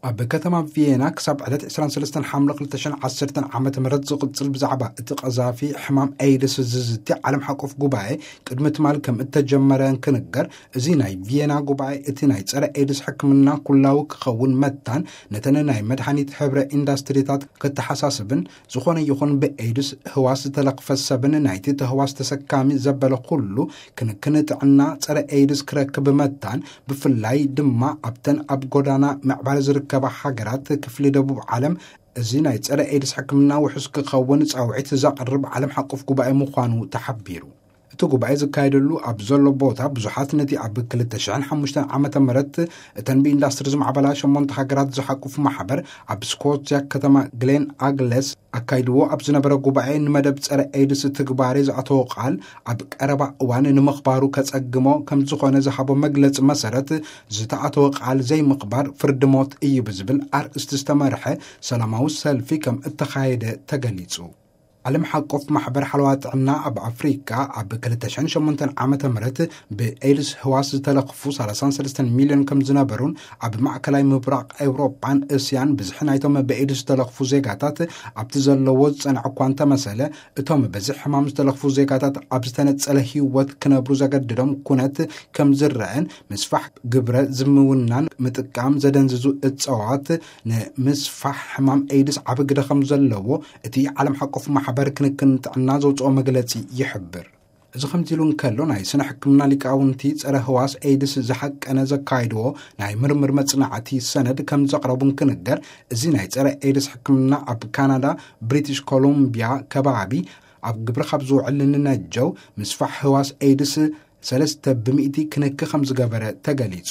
ኣብ ከተማ ቪየና ክሳብ ዕለት ዕስራን ሰለስተን ሓምለ ክልተ ሽሕን ዓሰርተን ዓመተ ምህረት ዝቕጽል ብዛዕባ እቲ ቀዛፊ ሕማም ኤድስ ዝዝቲ ዓለም ሓቆፍ ጉባኤ ቅድሚ ትማል ከም እተጀመረ እንክንገር፣ እዚ ናይ ቪየና ጉባኤ እቲ ናይ ጸረ ኤድስ ሕክምና ኩላዊ ክኸውን መታን ነተን ናይ መድሃኒት ሕብረ ኢንዳስትሪታት ከተሓሳስብን፣ ዝኾነ ይኹን ብኤድስ ህዋስ ዝተለኽፈ ሰብን ናይቲ ተህዋስ ተሰካሚ ዘበለ ኩሉ ክንክን ጥዕና ጸረ ኤድስ ክረክብ መታን፣ ብፍላይ ድማ ኣብተን ኣብ ጎዳና ምዕባለ ዝርከባ ሃገራት ክፍሊ ደቡብ ዓለም፣ እዚ ናይ ጸረ ኤድስ ሕክምና ውሑስ ክኸውን ጻውዒት ዘቕርብ ዓለም ሓቆፍ ጉባኤ ምዃኑ ተሓቢሩ። እቲ ጉባኤ ዝካየደሉ ኣብ ዘሎ ቦታ ብዙሓት ነቲ ኣብ ክልተ ሽሕን ሓሙሽተን ዓመተ ምህረት እተን ብኢንዳስትሪ ዝማዕበላ ሸሞንተ ሃገራት ዝሓቁፍ ማሕበር ኣብ ስኮትያ ከተማ ግሌን ኣግለስ ኣካይድዎ ኣብ ዝነበረ ጉባኤ ንመደብ ጸረ ኤድስ ትግባሬ ዝኣተወ ቃል ኣብ ቀረባ እዋን ንምኽባሩ ከጸግሞ ከም ዝኾነ ዝሃቦ መግለጺ መሰረት ዝተኣተወ ቃል ዘይምኽባር ፍርዲ ሞት እዩ ብዝብል ኣርእስቲ ዝተመርሐ ሰላማዊ ሰልፊ ከም እተኻየደ ተገሊጹ። ዓለም ሓቆፍ ማሕበር ሓለዋ ጥዕና ኣብ ኣፍሪካ ኣብ ክልተ ሽሕን ሸሞንተን ዓመተ ምህረት ብኤድስ ህዋስ ዝተለኽፉ ሰላሳን ሰለስተን ሚልዮን ከም ዝነበሩን ኣብ ማእከላይ ምብራቕ ኤውሮጳን እስያን ብዝሒ ናይቶም ብኤድስ ዝተለኽፉ ዜጋታት ኣብቲ ዘለዎ ዝጸንዐ እኳ እንተመሰለ፣ እቶም በዚ ሕማም ዝተለኽፉ ዜጋታት ኣብ ዝተነጸለ ህይወት ክነብሩ ዘገድዶም ኩነት ከም ዝረአን ምስፋሕ ግብረ ዝምውናን ምጥቃም ዘደንዝዙ እጸዋት ንምስፋሕ ሕማም ኤድስ ዓቢ ግደ ከም ዘለዎ እቲ ዓለም ሓቆፍ ማሕበር ክንክን ጥዕና ዘውጽኦ መግለጺ ይሕብር። እዚ ከምዚ ኢሉ እንከሎ፣ ናይ ስነ ሕክምና ሊቃውንቲ ጸረ ህዋስ ኤድስ ዝሓቀነ ዘካይድዎ ናይ ምርምር መጽናዕቲ ሰነድ ከም ዘቕረቡ እንክንገር፣ እዚ ናይ ጸረ ኤድስ ሕክምና ኣብ ካናዳ ብሪቲሽ ኮሎምቢያ ከባቢ ኣብ ግብሪ ካብ ዝውዕል ንነጀው ምስፋሕ ህዋስ ኤድስ ሰለስተ ብሚእቲ ክንክ ከም ዝገበረ ተገሊጹ።